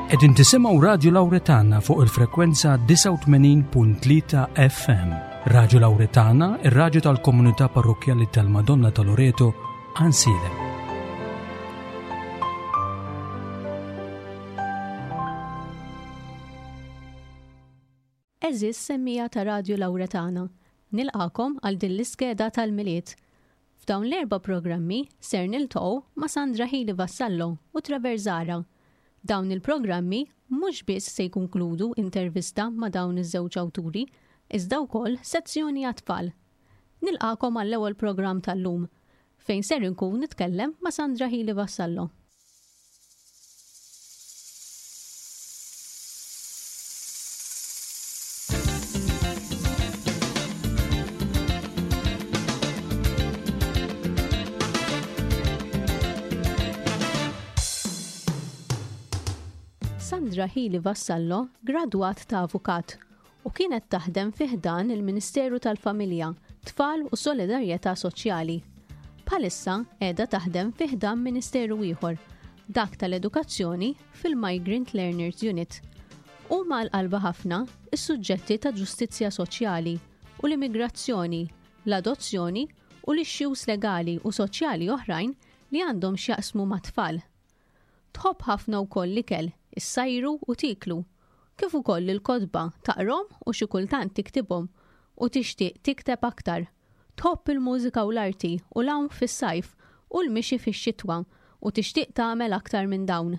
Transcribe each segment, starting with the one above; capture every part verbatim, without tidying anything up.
Qegħdin tisimgħu Radju Lawretana fuq il-frekwenza disgħa u tmenin punt tlieta F M. Radju Lawretana, ir-radju tal-Komunità Parrokkjali tal-Madonna ta' Loreto, Għajnsielem. Għeżież semmiegħa ta' Radju Lawretana, nilqagħkom għal din l-iskeda tal-Milied. F'dawn l-erba' programmi ser niltaqgħu ma' Sandra Hili Vassallo u Trevor Zahra. Dawn il-programmi mhux biss se jkonkludu intervista ma' dawn iż-żewġ awturi, iżda wkoll sezzjoni għat-tfal. Nilqagħkom għall-ewwel programm tal-lum, fejn ser inkun nitkellem ma' Sandra Hili Vassallo. Sandra Hili Vassallo gradwat ta' avukat u kienet taħdem fi ħdan il-Ministeru tal-Familja, Tfal u Solidarjetà Soċjali. Bħalissa qiegħda taħdem fi ħdan Ministeru ieħor, dak tal-Edukazzjoni, fil-Migrant Learners Unit. Huma għal qalbha ħafna is-suġġetti ta' ġustizzja soċjali u l-immigrazzjoni, l-adozzjoni u l-issues legali u soċjali oħrajn li għandhom x'jaqsmu mat-tfal. Tħobb ħafna wkoll l-ikel, issajru u tieklu, kif ukoll il-kotba, taqrahom u xi kultant tiktibhom, u tixtieq tikteb aktar. Tħobb il-mużika u l-arti u l-għawm fis-sajf u l-mixi fix-xitwa u tixtieq tagħmel aktar minn dawn.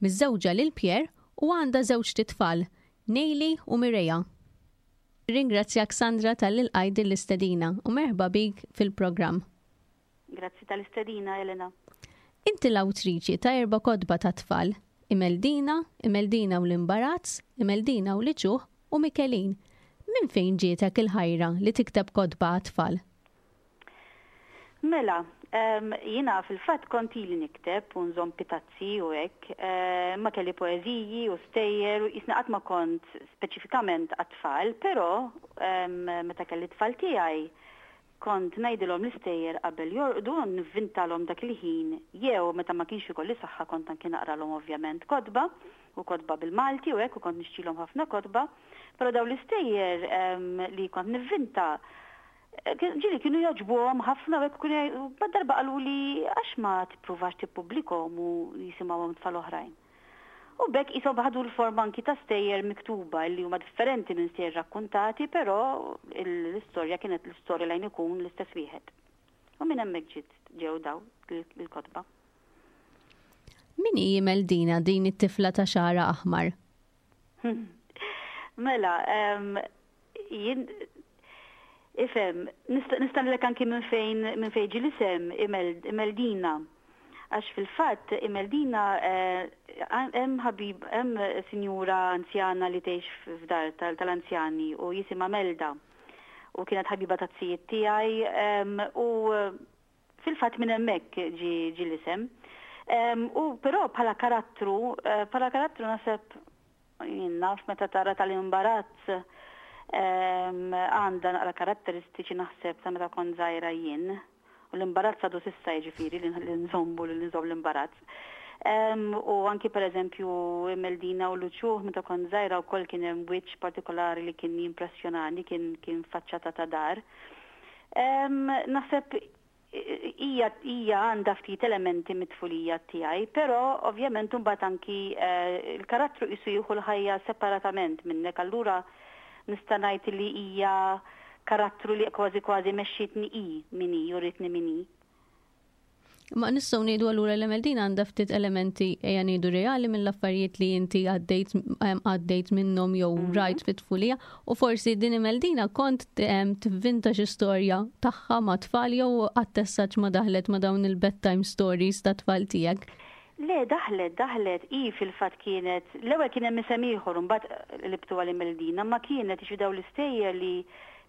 Miżżewġa lil Pierre u għandha żewġt itfal, Neili u Mireja. Ringrazzjak, Sandra, talli lqajt din l-istedina u merħba bik fil-programm. Grazzi tal-istedina, Elena. Inti l-awtriċi ta' erba' kotba ta' tfal, Imeldina, Imeldina u l-Imbarazz, Imeldina u l-Uċuħ u Mikelin. Minn fejn ġietek il-ħajra li tikteb kotba għat-tfal? Mela, um, jiena fil-fatt kont ili nikteb u nżomm pitazzi u hekk, uh, ma kelli poeżiji u stejjer u jisna qatt ma kont speċifikament għat-tfal, però um, meta kelli tfal tiegħi kont ngħidilhom l-istejjer qabel jorqdu, nivvintalhom dak il-ħin, jew meta ma kienx ikolli saħħa kont anki naqralhom ovvjament kotba u kotba bil-Malti u hekk, u kont nixtrilhom ħafna kotba, però dawn l-istejjer um, li kont nivvinta ġieli kienu jogħġbuhom ħafna u hekk, u darba qaluli, "Għax ma tippruvax tippubblikhom u jisimgħuhom tfal oħrajn?" U b'hekk qishom ħadu l-forma anki ta' stejjer miktuba li huma differenti minn stejjer rakkuntati, però l-istorja kienet l-istorja lejn ikun l-istess wieħed. U minn hemmhekk ġiet ġew daw il-kotba. Min hi Imeldina, din it-tifla ta' xagħarha aħmar? Mela, jien ifhem, nista' ngħidlek anki minn fejn minn fejn ġie l-isem Imeldina. Għax fil-fatt Imeldina, hemm ħabib, hemm sinjura anzjana li tgħix f'dar tal-anzjani u jisimha Melda. U kienet ħabiba taz-zijiet tiegħi u fil-fatt minn hemmhekk ġi l-isem. U però bħala karattru, bħala karattru naħseb jien naf meta tara tal-imbarazz, għandha naqra karatteristiċi naħseb ta' meta kont żgħira jien. U l-imbarazz għadu s'issa, jiġifieri li nżommu li nżomm l-imbarazz. U anki per eżempju Meldina u l-Uċuħ, meta kont żgħira wkoll kien hemm wiċċ partikolari li kien jimpressjonani, kien kien faċċata ta' dar. Naħseb hija hija għandha ftit elementi mit-tfulija tiegħi, però ovvjament imbagħad anki il-karattru qisu jieħu l-ħajja separatament minnek, allura nista' ngħid li hija karattru li kważi kważi mexxitni i min hi, uritni min hi. Ma nistgħu ngħidu allura li Meldina għandha ftit elementi, ejja ngħidu, reali mill-affarijiet li inti għaddejt għaddejt minnhom jew mhm. rajt fit-tfulija, u forsi din Imeldina kont tivvinta xi storja tagħha ma' tfal jew għattessaċ ma daħlet ma' dawn il-bedtime stories ta' tfal tiegħek? Le, daħlet, daħlet, i fil-fatt kienet, l-ewwel kien hemm isem ieħor, mbagħad libtu għal Imeldina, ma kienet ixi dawn l-istejjer li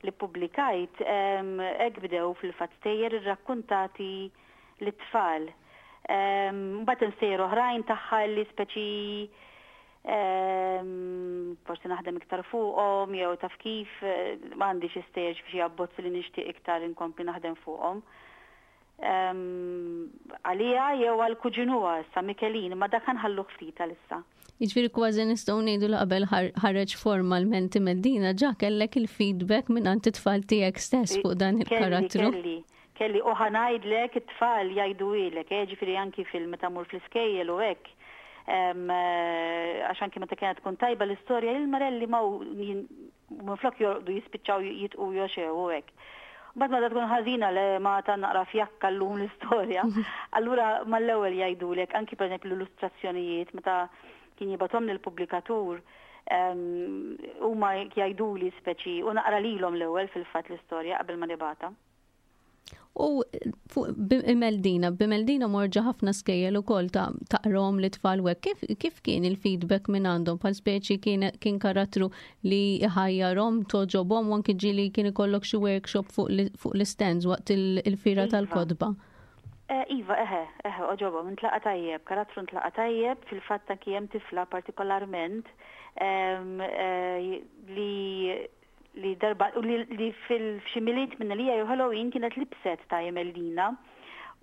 li ppubblikajt, hekk bdew fil-fatt, stejjer irrakkuntati lit-tfal. Mbagħad hemm stejjer oħrajn tagħha li speċi forsi naħdem iktar fuqhom jew taf kif, m'għandi xi stejjer, xi abbozzi li nixtieq iktar inkompli naħdem fuqhom. Għalija jew għal kuġinuha sa Mikelin, ma dak nħallu ftit għalissa. Jiġifieri kważi nistgħu ngħidu li qabel ħareġ formalment Imeldina ġa kellek il-feedback minn għand it-tfal tiegħek stess fuq dan il-karattru. Kelli, kelli u ħa ngħidlek it-tfal jgħidulek, eh, ġifieri anki fil meta mur fl-iskejjel u hekk. Eh, għax anki meta kienet tkun tajba l-istorja, il-marelli ma minflok jorqdu jispiċċaw jitqu joxew u hekk. Bad ma tkun ħażina le ma ta' naqra fjakka llum l-istorja. Allura mal-ewwel jgħidulek anki pereżempju l-illustrazzjonijiet meta kien jibgħathom lill-pubblikatur, huma jgħiduli speċi u naqra lilhom l-ewwel fil-fatt l-istorja qabel ma nibgħatha. U fuq Imeldina, b'Imeldina morġa ħafna skejjel ukoll ta' taqrom li tfal u hekk. Kif, kif kien il-feedback minn għandhom? Bħal speċi kien, kien karattru li ħajjarhom, togħġobhom, u anki ġieli kien ikollok xi workshop fuq fuq l-stands waqt il-fira Iva. tal-kotba. Eh, Iva, eħe, eħe, għoġobhom, intlaqa tajjeb, karattru ntlaqa tajjeb, fil-fatt anki hemm tifla partikolarment em, eh, li li darba u li, li fil-xi Milied minn li jew Halloween kienet libset ta' Imeldina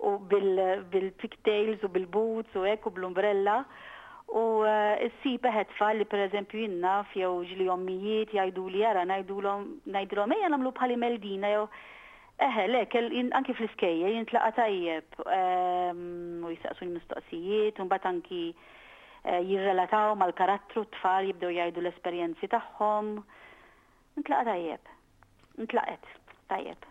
u bil-pigtails u bil-boots u hekk u bl-umbrella u eh, ssib eħe tfal li pereżempju jien naf jew ġieli ommijiet jgħidu li jara ngħidulhom ngħidulhom ejja nagħmlu bħal Imeldina jew eħe le kell jien- anki fl-iskejjel jintlaqa tajjeb ehm, u jistaqsu l-mistoqsijiet u mbagħad anki eh, jirrelataw mal-karattru t-tfal, jibdew jgħidu l-esperjenzi tagħhom. Intlaqa tajjeb. Intlaqet tajjeb.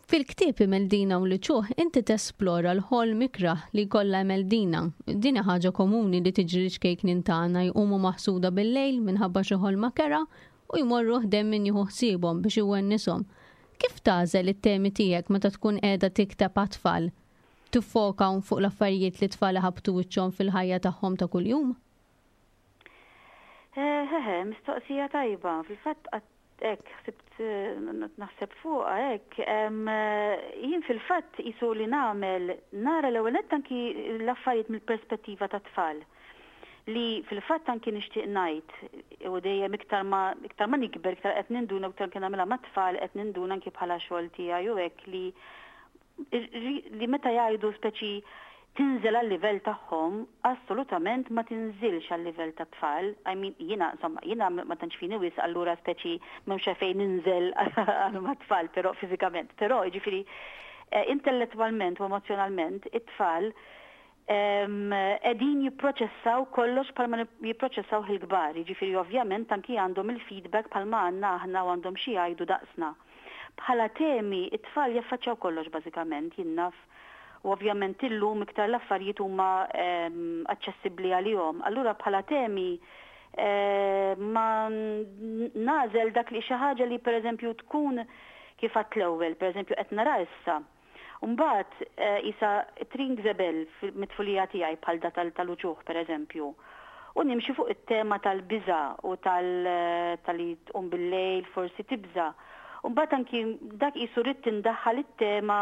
Fil-ktieb Imeldina u l-Uċuħ inti tesplora l-ħolm ikrah li kollha Imeldina. Din ħaġa komuni li tiġri ċkejknin tagħna, jqumu maħsuda bil-lejl minħabba xi ħolma kerha u jmorru ħdejn min jieħu ħsiebhom biex iwennishom. Kif tagħżel it-temi tiegħek meta tkun qiegħda tikteb għat-tfal? Tiffoka fuq l-affarijiet li tfal ħabtu wiċċhom fil-ħajja tagħhom ta' kuljum? Eħe, mistoqsija tajba. Fil-fatt hekk ħsibt eh, naħseb fuqha hekk. Jien fil-fatt isu li nagħmel nara l-ewwel nett anki l-affarijiet mill-perspettiva ta' tfal. Li fil-fatt anki nixtieq ngħid u dejjem iktar ma iktar ma nikber iktar qed ninduna, iktar kien nagħmilha mat-tfal qed ninduna anki bħala xogħol tiegħi u hekk li li meta jgħidu speċi tinżel għal livell tagħhom, assolutament ma tinżilx għal livell ta' tfal. I mean, jiena, insomma, jiena ma tantx fini wisq, allura speċi m'hemmx fejn ninżel għal mat-tfal, però fiżikament. Però jiġifieri eh, intellettwalment u emozjonalment it-tfal qegħdin jipproċessaw kollox bħalma jipproċessaw il-kbar. Jiġifieri ovvjament anki għandhom il-feedback bħalma għandna aħna u għandhom xi jgħidu daqsna. Bħala temi, it-tfal jaffaċċjaw kollox bażikament, jien naf, u ovvjament illum iktar l-affarijiet huma aċċessibbli għalihom. Allura bħala temi ma nagħżel dak li xi ħaġa li pereżempju tkun kif għedt l-ewwel, pereżempju qed nara issa. Mbagħad isa rings a bell mit-tfulija tiegħi bħal da tal-uċuħ pereżempju. U nimxi fuq it-tema tal-biża u tal-li tqum bil-lejl forsi tibża. Mbagħad anki dak qisu rrid tindaħħal it-tema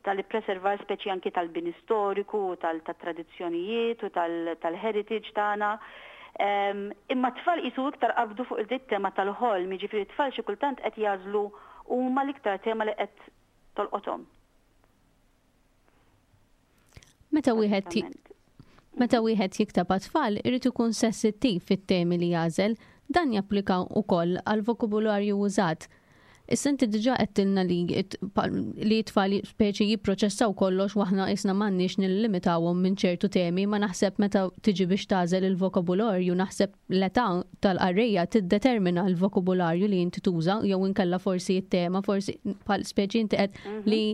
tal-preservar speċi anki tal-bini storiku, tal-tradizzjonijiet u tal-heritage tagħna. Imma tfal qisu iktar qabdu fuq il-tema tal-ħolm, jiġifieri tfal xi kultant qed jagħżlu huma l-iktar tema li qed tolqothom. Meta wieħed meta wieħed jikteb għat-tfal irid ikun sensittiv fit-temi li jagħżel, dan japplika wkoll għal vokabularju użat. Issa inti diġà għedtilna li li tfal speċi jipproċessaw kollox u aħna isna m'għandniex nillimitawhom minn ċertu temi, ma naħseb meta tiġi biex tagħżel il-vokabularju, naħseb l-età tal-qarrejja tiddetermina l-vokabularju li inti tuża jew inkella forsi t-tema, forsi bħal speċi inti qed Mhm. li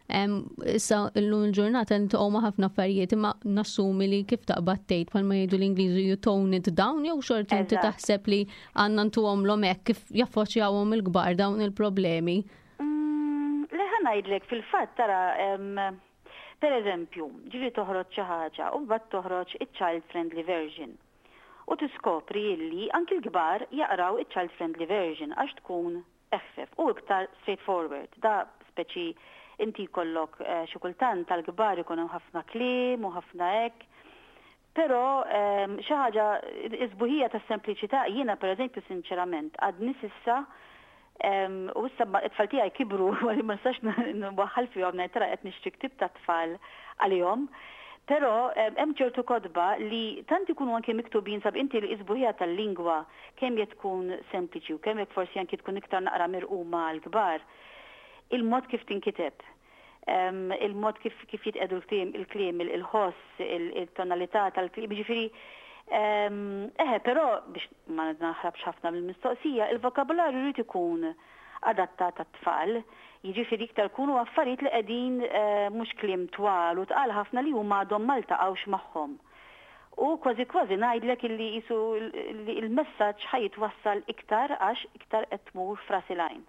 issa llum il-ġurnata niltaqgħu ma' ħafna affarijiet, imma nassumi li kif taqbad tgħid bħalma jgħidu l-Ingliżi you tone it down, jew xorta inti Eżatt. taħseb li għandna ntuhomlhom hekk kif jaffaċċjawhom il-kbar dawn il-problemi. Mm, le ħa ngħidlek fil-fatt tara, em, per eżempju, ġieli toħroġ xi ħaġa u mbagħad toħroġ iċ-child friendly version. U tiskopri illi anki l-kbar jaqraw iċ-child friendly version għax tkun eħfef u iktar straightforward. Da speċi inti jkollok, eh, xi kultant tal-kbar ikun hemm ħafna kliem u ħafna hekk. Però, ehm, xi ħaġa is-sbuħija tas-sempliċità, jiena pereżempju sinċerament għadni s'issa U issa it-tfal tiegħi kibru għalli ma nistax nwaħħal fihom ngħid tara qed nixtri ktieb ta' tfal għalihom. Però hemm ċertu kotba li tant ikunu anke miktubin sab inti li isbuħija tal-lingwa kemm jekk tkun sempliċi u kemm jekk forsi anke tkun iktar naqra mirquma għall-kbar. Il-mod kif tinkiteb, il-mod kif kif jitqedu l-kliem, il-kliem, il-ħoss, il-tonalità tal-kliem, ġifieri eħe, però biex ma naħrabx ħafna mill-mistoqsija, il-vokabularju jrid ikun adattat għat-tfal, jiġifieri iktar kunu affarijiet li qegħdin eh, mhux kliem twal u tqal ħafna li huma għadhom ma ltaqgħux magħhom. U kważi kważi ngħidlek illi jisu il-messaġġ ħa jitwassal iktar għax iktar qed tmur f'ras il-għajn.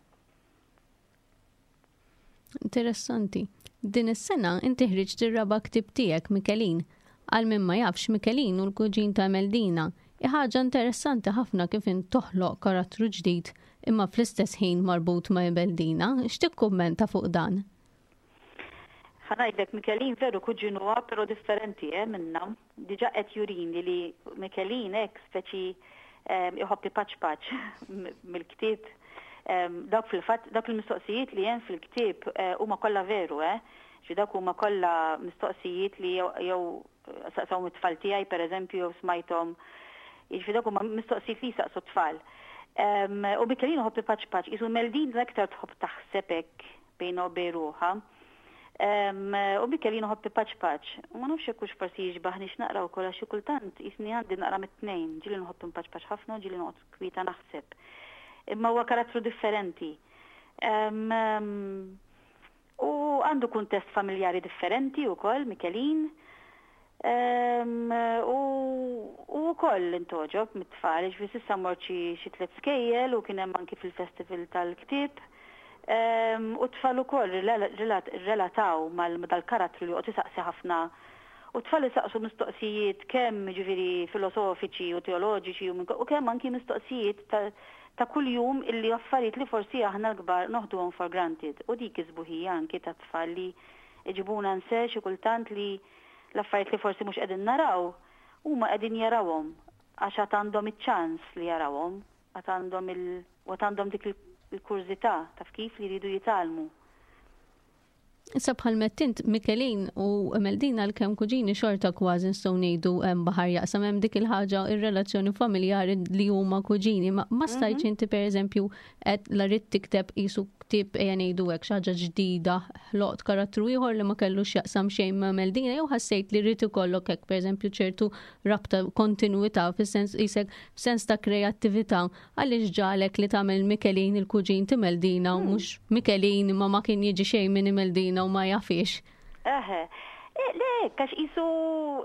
Interessanti. Din is-sena inti ħriġt ir-raba' ktieb tiegħek Mikelin. Għal min ma jafx Mikelin u l-kuġin ta' Meldina. Ħaġa interessanti ħafna kif int toħloq karattru ġdid imma fl-istess ħin marbut ma' Imeldina. X'tikkummenta fuq dan? Ħa ngħidlek Mikelin veru kuġinuha però differenti eh, minna. Diġà qed jurini li Mikelin hekk speċi iħobb ipaċpaċ mill-ktieb. Dawk fil-fatt dawk il-mistoqsijiet li hemm fil-ktieb eh, huma kollha veru, eh. Ġi dawk huma kollha mistoqsijiet li jew saqsaw it-tfal tiegħi pereżempju jew smajthom. Jiġifieri dawk huma mistoqsijiet li saqsu t-tfal. U Mikelin iħobb ipaċpaċ, isu Meldin l-aktar tħobb taħseb hekk bejna u bejn ruħha. U Mikelin iħobb ipaċpaċ. U ma nafx hekk forsi jixbaħni naqra wkoll għax xi kultant jisni għandi naqra mit-tnejn, ġieli nħobb impaċpaċ ħafna u ġieli noqgħod kwieta naħseb. Imma huwa karattru differenti. U għandu kuntest familjari differenti wkoll, Mikelin. U wkoll intgħoġob mit-tfal, ġifieri s'issa mort xi tliet skejjel u kien hemm anki fil-festival tal-ktieb. U t-tfal ukoll relataw mal dal-karattru li joqgħod isaqsi ħafna. U t-tfal isaqsu mistoqsijiet kemm ġifieri filosofiċi u teoloġiċi u kemm anki mistoqsijiet ta' ta' kuljum illi affarijiet li forsi aħna l-kbar noħduhom for granted. U dik is-sbuħija anki ta' tfal li iġibuna nse xi kultant li l-affarijiet li forsi mhux qegħdin naraw huma qegħdin jarawhom għax għad għandhom iċ-ċans li jarawhom, għad għandhom il għad għandhom dik il-kurżità taf kif li jridu jitgħallmu. Issa bħal mettint Mikelin u Meldina l-kem kuġini xorta kważi nistgħu ngħidu hemm baħar jaqsam hemm dik il-ħaġa ir-relazzjoni familjari li huma kuġini. Ma, ma stajtx mhm. inti pereżempju qed la rid tikteb qisu ktieb ejja ngħidu hekk xi ħaġa ġdida ħloqt karattru ieħor li ma kellux jaqsam xejn ma' Meldina jew ħassejt li rrid ikollok hekk pereżempju ċertu rabta kontinwità fis-sens qisek f'sens ta' kreattività għaliex ġalek li tagħmel Mikelin il-kuġin ta' Meldina u hmm. mhux Mikelin imma ma kien jiġi xejn minn Meldina u ma jafix. Eħe. Eh, le, għax jisu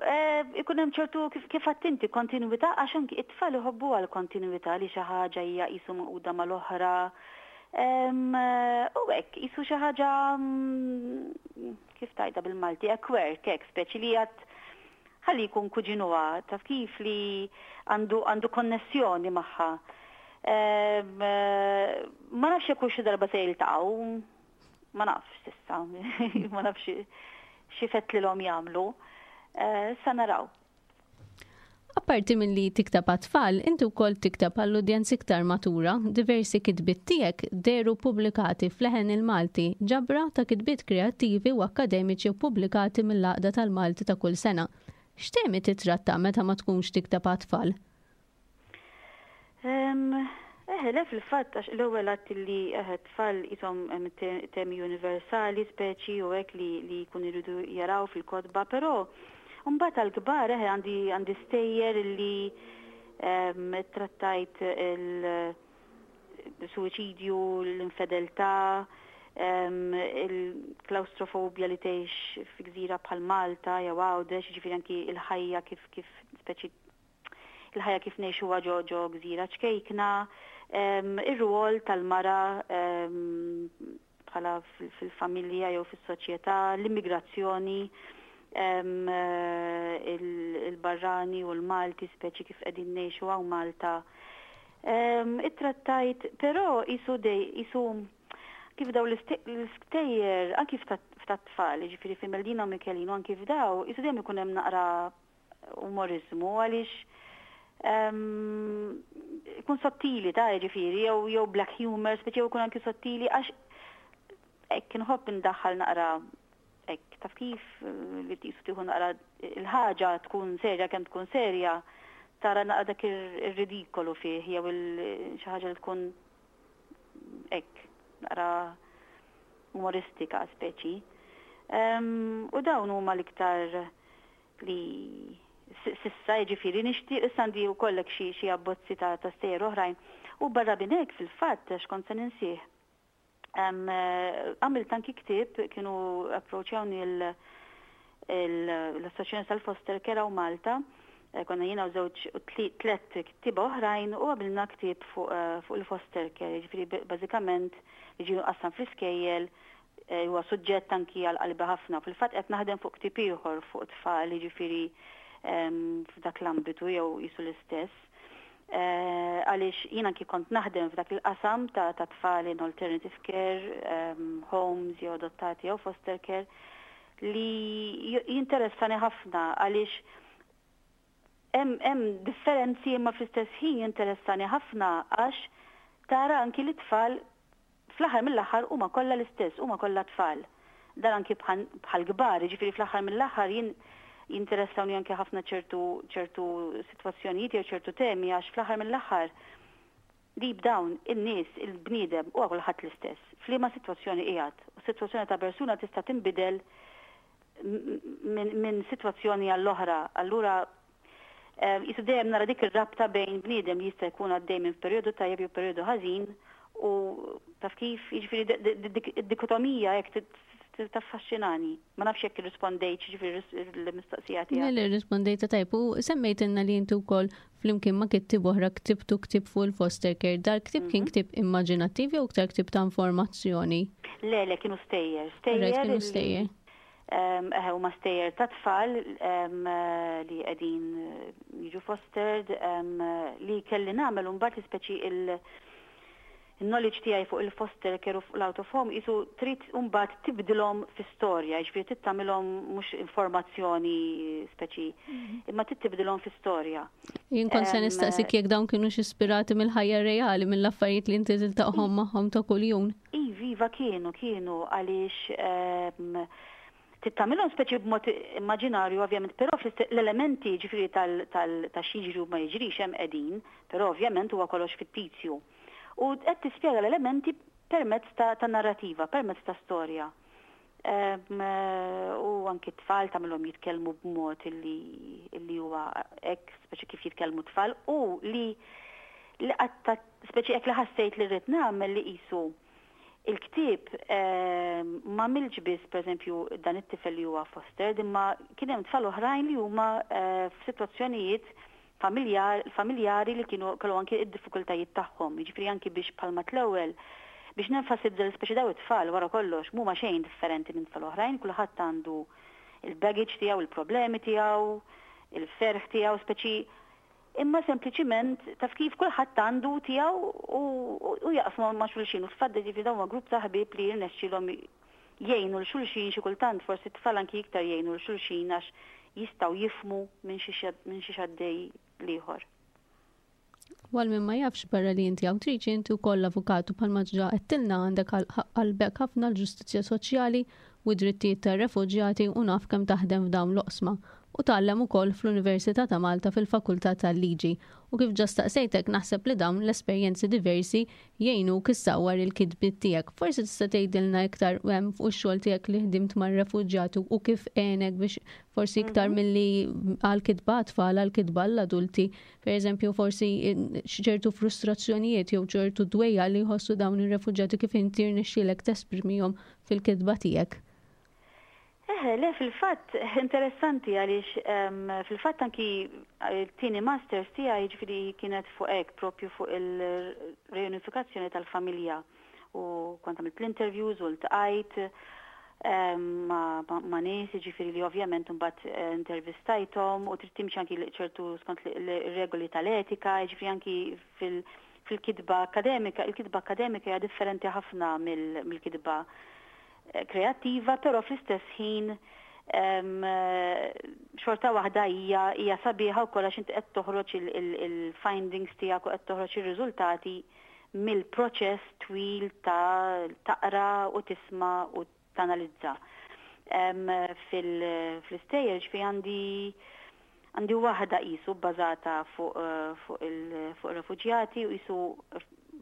eh, ikun hemm ċertu kif attenti kontinuità għax anki it-tfal iħobbu għal kontinuità li xi ħaġa hija qisu maquda mal-oħra. U hekk qisu xi ħaġa mm, kif tajda bil-Malti, hekk hekk speċi li għad ħalli jkun kuġinuha, taf kif li għandu għandu konnessjoni magħha. Ma nafx jekk xi darba se jiltaqgħu, ma nafx s'issa, ma nafx xi fettlilhom jagħmlu. Eh, sa naraw. Apparti minn li tikteb għat-tfal, inti wkoll tikteb għall-udjenza iktar matura, diversi kitbiet tiegħek dehru pubblikati f'Leħen il-Malti, ġabra ta' kitbiet kreattivi u akademiċi pubblikati mill-Għaqda tal-Malti ta' kull sena. X'temi titratta meta ma tkunx tikteb għat-tfal? Eh, le fil-fatt għax l-ewwel għadt li eh, tfal jisom temi universali, speċi u hekk li li jkun iridu jaraw fil-kotba, però mbagħad għall-kbar eh għandi għandi stejjer li trattajt il-suwiċidju, l-infedeltà, il-klaustrofobja li tgħix fi gżira bħal Malta jew Għawdex, ġifieri anki il-ħajja kif kif speċi il-ħajja kif ngħixuha ġo ġo gżira ċkejkna, ir-rwol tal-mara bħala fil-familja jew fis-soċjetà, l-immigrazzjoni, il-barrani u l-Malti speċi kif qegħdin ngħixu hawn Malta. Ittrattajt, però isu dej, isu kif daw l-istejjer, anki f'tat-tfal, ġifieri fi Meldina u Mikelin, u anki f'daw, isu dejjem ikun hemm naqra umorizmu għaliex Ikun sottili ta' ġifieri, jew jew black humor, speċi jew ikun anki sottili, għax hekk inħobb indaħħal naqra hekk, taf kif, li tisu tieħu naqra il-ħaġa tkun serja kemm tkun serja, tara naqra dak ir-ridikolu fih jew xi ħaġa li tkun hekk naqra umoristika speċi. U dawn huma l-iktar li s'issa, jiġifieri nixtieq, issa għandi wkoll xi xi abbozzi ta' ta' stejjer oħrajn. U barra minn hekk, fil-fatt, għax kont se ninsih. Għamilt anki ktieb, kienu approċjawni l-Assoċjazzjoni tal-Foster Care u Malta, eh, konna jiena u żewġ tlet kittieba oħrajn u għamilna ktieb fuq eh, il-foster care, ġifieri bażikament li ġie mqassam fl-iskejjel, eh, huwa suġġett anki għal qalbi ħafna. Fil-fatt qed naħdem fuq ktieb ieħor fuq tfal, ġifieri f'dak l-ambitu jew jisu l-istess. Għaliex jien anki kont naħdem f'dak il-qasam ta' tfal in alternative care, homes jew adottati jew foster care, li jinteressani ħafna għaliex hemm differenzi, imma fl-istess ħin jinteressani ħafna għax tara anki li tfal fl-aħħar mill-aħħar huma kollha l-istess, huma kollha tfal. Dan anki bħal kbar, ġifieri fl-aħħar mill-aħħar jien jinteressawni anki ħafna ċertu ċertu sitwazzjonijiet jew ċertu temi għax fl-aħħar mill-aħħar deep down in-nies, il-bniedem huwa kulħadd l-istess. F'liema sitwazzjoni qiegħed. U sitwazzjoni ta' persuna tista' tinbidel minn sitwazzjoni għall-oħra. Allura jisu dejjem nara dik ir-rabta bejn bniedem li jista' jkun għaddej minn perjodu tajjeb jew perjodu ħażin u taf kif, jiġifieri id-dikotomija jekk taffaxxinani. Ma nafx jekk irrispondejt ġifieri l-mistoqsija tiegħek. Le, rispondejta tajb u semmejtilna li inti wkoll flimkien ma' kittieb oħra ktibtu ktieb fuq il-foster care. Dal-ktieb kien mhm. ktieb immaġinattiv jew iktar ktieb ta' informazzjoni? Le, le, kienu stejjer. Stejjer. Kienu stejjer. Huma stejjer ta' tfal li qegħdin jiġu fostered, li kelli nagħmel mbagħad speċi il- il-knowledge tiegħi fuq il-foster care u fuq l-out of home isu trid mbagħad tibdilhom fi storja, jiġifieri trid tagħmilhom mhux informazzjoni speċi, mhm. imma trid tibdilhom fi storja. Jien kont se nistaqsik jekk dawn kienu ispirati mill-ħajja reali, mill-affarijiet li inti tiltaqhom magħhom ta' kuljum. Iva, iva, kienu, kienu għaliex trid tagħmilhom speċi b'mod immaġinarju ovvjament, però l-elementi ġifieri tal xi ma jiġrix hemm qegħdin, però ovvjament huwa kollox fittizju. U qed tispjega l-elementi permezz ta', ta narrativa, permezz ta' storja. Um, u anki tfal tagħmilhom jitkellmu b'mod illi, illi huwa hekk, speċi kif jitkellmu tfal, u li li qatta speċi hekk li ħassejt li rrid nagħmel li qisu il-ktieb ma milġ biss, pereżempju, dan it-tifel li huwa fostered, imma kien hemm tfal oħrajn li huma eh, f'sitwazzjonijiet familjari li kienu kellu anki id-diffikultajiet tagħhom. Jiġifieri anki biex palma l-ewwel biex nenfasizza li speċi daw it-tfal wara kollox mhuma xejn differenti minn tfal oħrajn, kulħadd għandu il-baggage tiegħu, il-problemi tiegħu, il-ferħ tiegħu, speċi imma sempliċiment taf kif kulħadd għandu tiegħu u jaqsmu ma' xulxin u tfadda, ġifieri dawn grupp ta' ħbieb li jirnexxilhom jgħinu 'l xulxin. Xi kultant forsi tfal anki iktar jgħinu 'l xulxin għax jistgħu jifhmu minn xi għaddej l-ieħor. Għal min ma jafx, barra li inti awtriċi, inti wkoll avukatu. Bħalma ġa għedtilna, għandek qalbek ħafna l-ġustizzja soċjali u drittijiet tar-refuġjati u naf kemm taħdem f'dawn l-oqsma u tgħallem ukoll fl-Università ta' Malta fil-Fakultà tal-Liġi. U kif ġa staqsejtek, naħseb li dawn l-esperjenzi diversi jgħinu issawwar il-kitbiet tiegħek. Forsi tista' tgħidilna iktar fuq ix-xogħol tiegħek li ħdimt mar-refuġjati u kif għenek biex forsi iktar mhm. milli għal-kitba tfal, għal-kitba l-adulti, per eżempju, forsi ċertu frustrazzjonijiet jew ċertu dwejjaq li jħossu dawn ir-refuġjati, kif inti rnexxielek tesprimihom fil-kitba tiegħek. Eh, le, fil-fatt, interessanti għaliex fil-fatt anki t-tieni masters tiegħi ġifieri kienet fuq hekk, propju fuq il-reunifikazzjoni tal-familja, u kont għamilt l-interviews u ltqajt ma, ma nies ġifieri li ovvjament mbagħad eh, intervistajthom u trid timxi anki ċertu skont regoli tal-etika, ġifieri anki fil- fil-kitba akademika, il-kitba akademika hija differenti ħafna mill-kitba kreattiva, però fl-istess ħin Xorta waħda hija hija sabiħa wkoll għax inti qed toħroġ il-findings tiegħek u qed toħroġ ir-riżultati mill-proċess twil ta' taqra u tisma' u tanalizza. Fil-istejjer ġifi għandi għandi waħda qisu bbażata fuq fuq il-refuġjati u qisu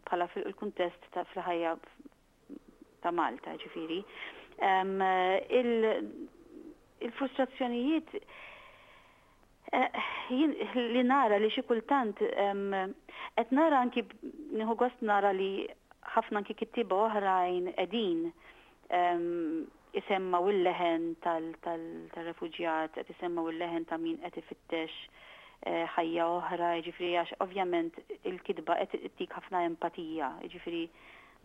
bħala fil-kuntest ta' fil-ħajja ta' Malta, ġifieri. Il-frustrazzjonijiet jien li nara li xi kultant qed nara anki, nieħu gost nara li ħafna anki kittieba oħrajn qegħdin isemmaw il-leħen tal-refuġjat, qed isemmaw il-leħen ta' min qed ifittex ħajja oħra, jiġifieri għax ovvjament il-kitba qed ittik ħafna empatija, jiġifieri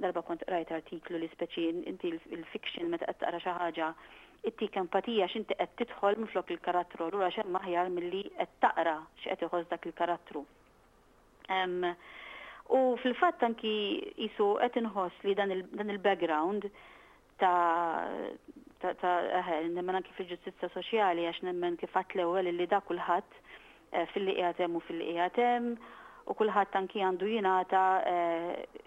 darba kont qrajt artiklu li speċi inti il-fiction meta qed taqra xi ħaġa ittik empatija għax inti qed tidħol minflok il-karattru, allura x'hemm aħjar milli qed taqra x'qed iħoss dak il-karattru. U fil-fatt anki qisu qed inħoss li dan il-background ta' ta' nemmen anki fil-ġustizzja soċjali, għax nemmen kif għedt l-ewwel li da kulħadd filli qiegħed hemm u filli qiegħed hemm u kulħadd anki għandu jingħata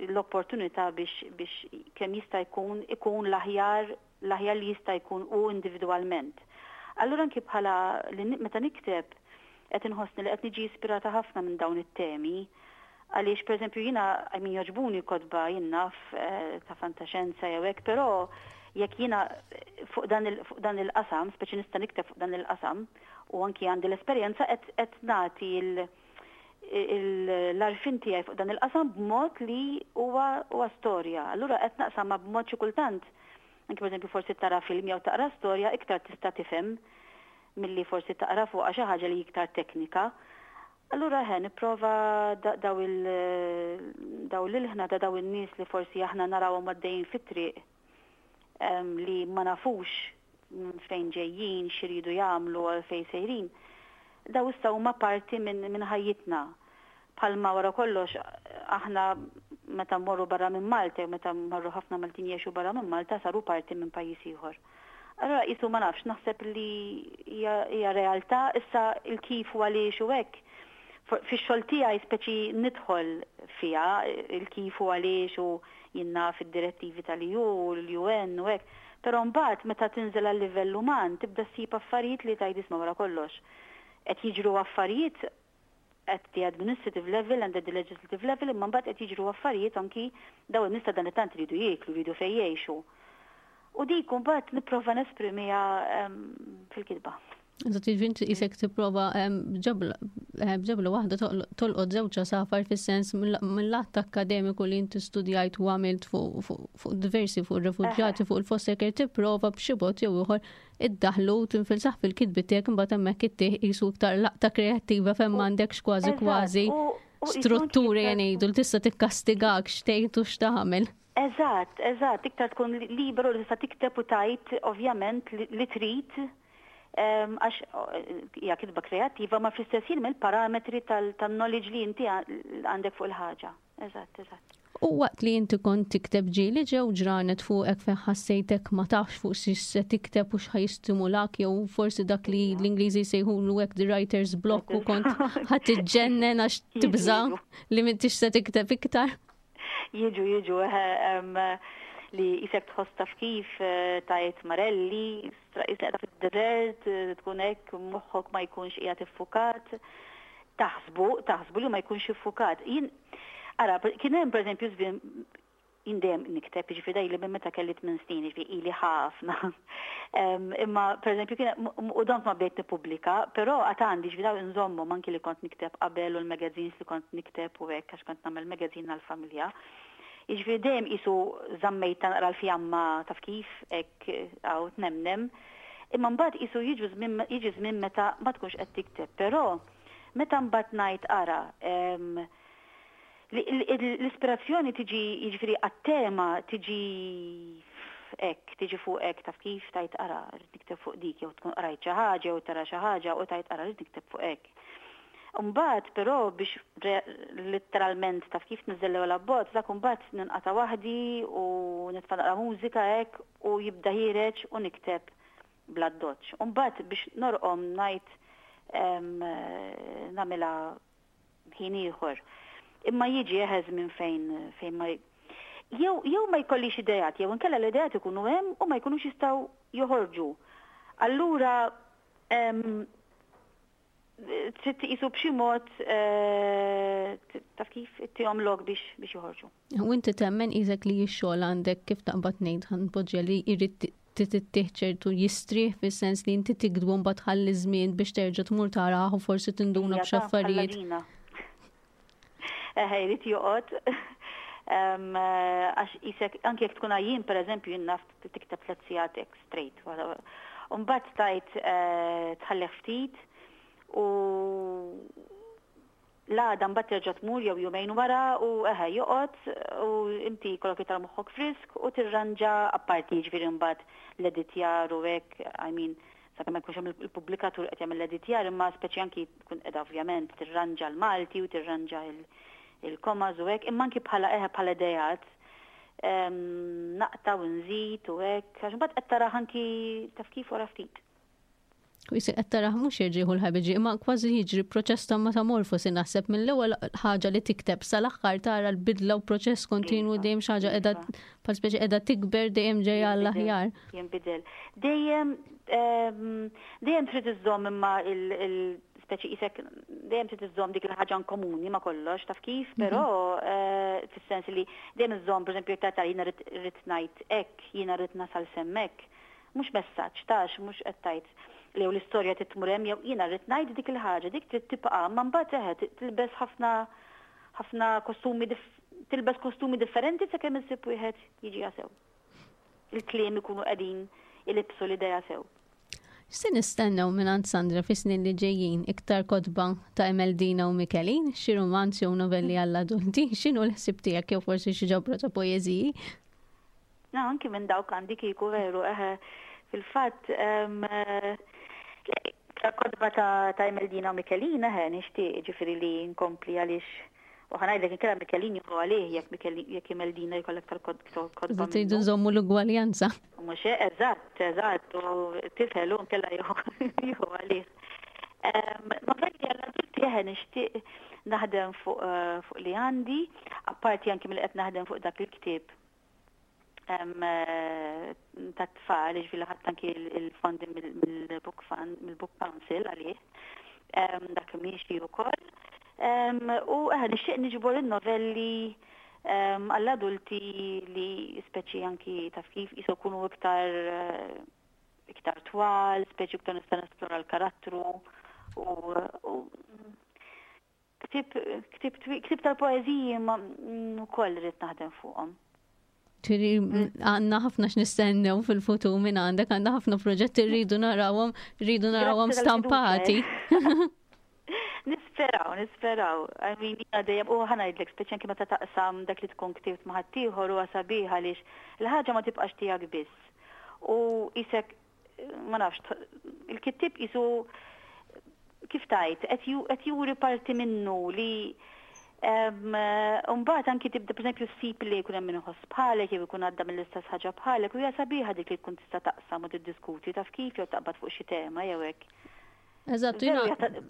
l-opportunità biex biex kemm jista' jkun ikun l-aħjar l-aħjar li jista' jkun u individwalment. Allura anki bħala li meta nikteb qed inħossni li qed niġi ispirata ħafna minn dawn it-temi, għaliex pereżempju jiena, I mean, jogħġbuni kotba, jien naf, ta' fantaxenza jew hekk, però jekk jiena fuq dan il-qasam, speċi nista' nikteb fuq dan il-qasam u anki għandi l-esperjenza, qed nagħti l-għarfien tiegħi fuq dan il-qasam b'mod li huwa huwa storja. Allura qed naqsamha b'mod xi kultant anki pereżempju forsi tara film jew taqra storja iktar tista' tifhem milli forsi taqra fuqha xi ħaġa li iktar teknika. Allura ħe nipprova daw il daw l-ilħna ta' daw in-nies li forsi aħna narawhom għaddejjin fit-triq li ma nafux fejn ġejjin, x'iridu jagħmlu għal fejn sejrin. Daw issa huma parti minn ħajjitna. Bħalma wara kollox aħna meta mmorru barra minn Malta, jew meta mmorru ħafna Maltin jgħixu barra minn Malta, saru parti minn pajjiż ieħor. Allura qisu ma nafx, naħseb li hija realtà, issa il-kif u għaliex u hekk. Fix-xogħol tiegħi speċi nidħol fiha il-kif u għaliex u jien naf id-direttivi tal-E U u l-U N u hekk. Però mbagħad meta tinżel għal livell uman tibda ssib affarijiet li tgħid, isma', wara kollox qed jiġru affarijiet at the administrative level and at the legislative level, imma mbagħad qed jiġru affarijiet anki daw in-nies ta' dan it-tant iridu jieklu, jridu fejn jgħixu. U dik mbagħad nipprova nesprimiha fil-kitba. Eżatt, jiġifieri inti qisek tipprova b'ġebla waħda tolqot żewġ għasafar, fis-sens mill-lat akkademiku li inti studjajt u għamilt fuq diversi, fuq ir-refuġjati, fuq il-foster care, tipprova b'xi mod jew ieħor iddaħlu tinfilsaħ fil-kitbi tiegħek, imbagħad hemmhekk ittih qisu iktar laqta kreattiva fejn m'għandekx kważi kważi strutturi jgħidu li tista' tikkastigak x'tgħid u x'tagħmel. Eżatt, eżatt, iktar tkun liberu li tista' tikteb u tgħid ovvjament li trid, għax hija kitba kreattiva ma fl-istess ħin mill-parametri tal-knowledge li inti għandek fuq il-ħaġa. Eżatt, eżatt. U waqt li inti kont tikteb, ġieli ġew ġranet fuqek fejn ħassejtek ma tafx fuq se tikteb u x'ħa jistimulak, jew forsi dak li l-Ingliżi jsejħulu hekk the writer's block, u kont ħa tiġġennen għax tibża li m'intix se tikteb iktar? Jiġu, jiġu, li qisek tħoss, taf kif, tajt marelli, qisek fid-desert, tkun hekk, moħħok ma jkunx qiegħed iffukat, taħsbu, taħsbu li ma jkunx iffukat. Jien, ara, kien hemm pereżempju żmien, jien dejjem nikteb, jiġifieri dejli minn meta kelli tmien snin, jiġifieri ili ħafna. Imma pereżempju kien u dont ma bdejt nippubblika, però għad għandi, ġifieri daw nżommhom anki li kont nikteb qabel u l-magazines li kont nikteb u hekk, għax kont nagħmel magazine għall-familja. Jiġifieri dejjem qisu żammejt naqra l-fjamma, taf kif, hekk għaw tnemnem. Imma mbagħad qisu jiġu żmien jiġi żmien meta ma tkunx qed tikteb, però meta mbagħad ngħid, ara, l-ispirazzjoni tiġi, jiġifieri għat-tema tiġi hekk, tiġi fuq hekk, taf kif, tgħid, ara, rrid nikteb fuq dik, jew tkun qrajt xi ħaġa jew tara xi ħaġa u tgħid, ara, rrid nikteb fuq hekk. Mbagħad però biex letteralment, taf kif, niżel l-abbozz, dak mbagħad ninqata' waħdi u nitfa' naqra mużika hekk u jibda ħiereġ u nikteb. Bl-addoċċ. Mbagħad biex norqom ngħid nagħmilha ħin ieħor. Imma jiġi eħeż minn fejn fejn ma jew jew ma jkollix idejat, jew inkella l-idejat ikunu hemm u ma jkunux jistgħu joħorġu. Allura trid tqisu b'xi mod eh, taf kif ittihom lok biex biex joħorġu. U inti temmen qisek li x-xogħol għandek, kif taqbad ngħid, ħa npoġġi, li jrid tittieħ ċertu jistrieħ, fis-sens li inti tiktbu, mbagħad tħalli żmien biex terġa' tmur taraħ u forsi tinduna b'xi affarijiet? Eħe, jrid joqgħod. Għax qisek, anke jekk tkun għajjien, per eżempju, jien naf tikteb tliet sigħat straight. Mbagħad tajt eh, tħallih ftit u l-għada mbagħad terġa' tmur jew jumejn wara u eħe joqgħod u inti jkollok iktar moħħok frisk u tirranġa, apparti jiġifieri mbagħad l-editjar u hekk, I mean, sakemm ma jkunx hemm il-pubblikatur qed jagħmel l-editjar, imma speċi anki tkun qiegħda ovvjament tirranġa l-Malti u tirranġa il-commas u hekk, imma anki bħala eħe bħala idejat naqta' u nżid u hekk, għax mbagħad qed tara anki taf kif wara ftit. U qisek qed taraħ mhux jerġieħu l-ħabiġi, imma kważi jiġri proċess ta' metamorfosi, naħseb, mill-ewwel ħaġa li tikteb sal-aħħar tara l-bidla u proċess kontinwu, iva, dejjem xi ħaġa qiegħda iva. bħal speċi qiegħda tikber, dejjem ġejja għall-aħjar. Jinbidel. Dejjem dejjem trid iżżomm imma il speċi qisek dejjem trid iżżomm dik il-ħaġa komuni ma' kollox, taf kif, mhm. però eh, fis-sens li dejjem iżżomm, pereżempju, jekk tara jiena rrid ngħid hekk, jiena rrid nasal s'hemmhekk, mhux messaġġ tax, mhux qed tgħid li jew l-istorja titmur hemm jew jiena rrid ngħid dik il-ħaġa, dik trid tibqa', ma mbagħad eħe tilbes ħafna ħafna kostumi, tilbes kostumi differenti sakemm issib wieħed jiġi sew. Il-kliem ikunu qegħdin ilibsu l-idea sew. Se nistennew minn Sandra fi snin li ġejjin? Iktar kotba ta' Emeldina u Mikelin, xi romanzi u novelli għall-adulti, x'inhu l-ħsib tiegħek, jew forsi xi ġabra ta' poeżiji? No, anki minn dawk għandi kieku veru, eħe, fil-fatt, kotba ta' ta' Emeldina u Mikelina, eħe, nixtieq ġifieri li nkompli, għaliex u ħa ngħidlek, inkella Mikelin jieħu għalih jekk jekk Emeldina jkollek tal-kotba. Tridu nżommu l-ugwaljanza. Mhux eżatt, eżatt, u tifel u nkella jieħu għalih. Novelli għall-adulti, eħe, nixtieq naħdem fuq eh, fuq li għandi, apparti anki mill qed naħdem fuq dak il-ktieb eh, ta' tfal, ġifieri ħadt anki il-fondi mill-Book Fund, mill-Book Council għalih, dak miexi wkoll. U eħe nixtieq niġbor il-novelli għall-adulti li speċi anki taf kif jisu jkunu iktar eh, iktar twal, speċi iktar nista' nesplora l-karattru u ktieb tal-poeżiji ma wkoll rrid naħdem fuqhom. Ġifieri għandna ħafna x'nistennew fil-futur minn għandek, għandna ħafna proġetti, rridu narawhom, rridu narawhom stampati. Nisperaw, nisperaw. I mean, jiena dejjem, u ħa ngħidlek, speċi anki meta taqsam dak li tkun ktibt ma' ħaddieħor huwa sabiħ, għaliex il-ħaġa ma tibqax tiegħek biss. U qisek, ma nafx, il-kittib qisu, kif tajt, qed juri parti minnu li mbagħad anki tibda, pereżempju, ssib li jkun hemm min iħoss bħalek jew ikun għadda mill-istess ħaġa bħalek, u hija sabiħa dik li tkun tista' taqsam u tiddiskuti, taf kif, jew taqbad fuq xi tema jew hekk. Eżatt, jiena.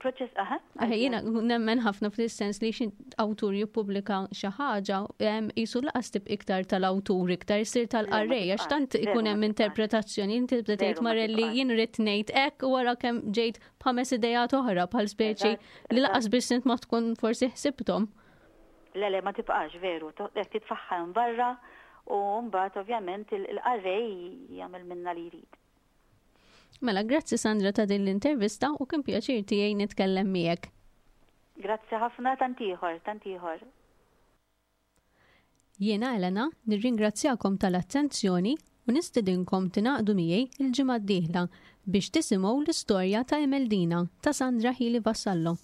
Proċess, aha. Jiena nemmen ħafna fil-sens li xi awtur jippubblika xi ħaġa, qisu lanqas tibqa' iktar tal-awtur, iktar issir tal-qarrej, għax tant ikun hemm interpretazzjoni, inti tibda tgħid marelli jien rrid ngħid hekk u wara kemm ġejt b'ħames idejat oħra bħal speċi li lanqas biss int ma tkun forsi ħsibthom. Le, le, ma tibqax veru, titfaħħa barra u mbagħad ovvjament il-qarrej jagħmel minna li jrid. Mela, grazzi Sandra ta' din l-intervista u kien pjaċir tiegħi nitkellem miegħek. Grazzi ħafna, tant ieħor, tant ieħor. Jiena Elena, nirringrazzjakom tal-attenzjoni u nistedinkom tingħaqdu miegħi il-ġimgħa d-dieħla biex tisimgħu l-istorja ta' Emeldina ta' Sandra Hili Vassallo.